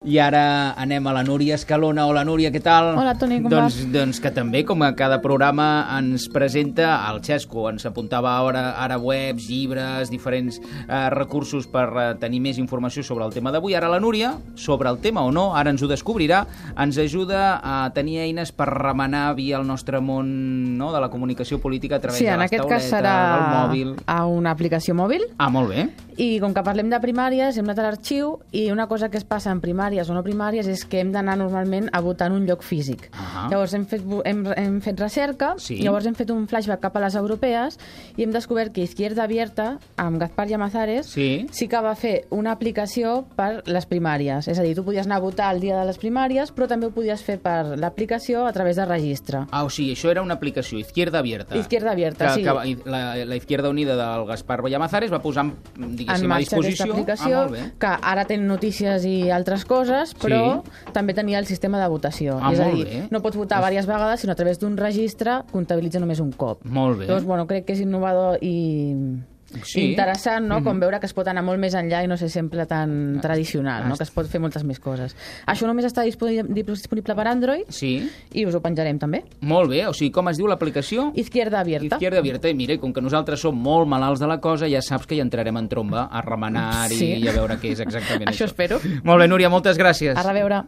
I ara anem a la Núria Escalona. Hola, Núria, què tal? Hola, Toni, com vas? Doncs que també, com a cada programa, ens presenta el Xesco. Ens apuntava ara webs, llibres, diferents recursos per tenir més informació sobre el tema d'avui. Ara la Núria, sobre el tema o no, ara ens ho descobrirà, ens ajuda a tenir eines per remenar via el nostre món, no?, de la comunicació política a través de les tauletes, del mòbil. A una aplicació mòbil. Ah, molt bé. I com que parlem de primàries, hem anat a l'arxiu i una cosa que es passa en primàries o no primàries és que hem d'anar normalment a votar en un lloc físic. Llavors hem fet recerca, llavors hem fet un flashback cap a les europees i hem descobert que Izquierda Abierta, amb Gaspar Llamazares, sí que va fer una aplicació per les primàries. És a dir, tu podies anar a votar el dia de les primàries, però també ho podies fer per l'aplicació a través de registre. Ah, o sigui, això era una aplicació, Izquierda Abierta. Izquierda Abierta, sí. La Izquierda Unida del Gaspar Llamazares va posar, diguéssim, a disposició. Aplicació, que ara té notícies i altres coses, però també tenia el sistema de votació. És a dir, no pots votar diverses vegades, sinó a través d'un registre comptabilitza només un cop. Molt bé. Llavors, bueno, crec que és innovador i interessant, no? Com veure que es pot anar molt més enllà i no ser sempre tan tradicional, no? Que es pot fer moltes més coses. Això només està disponible per Android i us ho penjarem també. Molt bé, o sigui, com es diu l'aplicació? Izquierda Abierta. Izquierda Abierta, i mira, com que nosaltres som molt malalts de la cosa, ja saps que hi entrarem en tromba a remenar i a veure què és exactament això. Això espero. Molt bé, Núria, moltes gràcies. A reveure.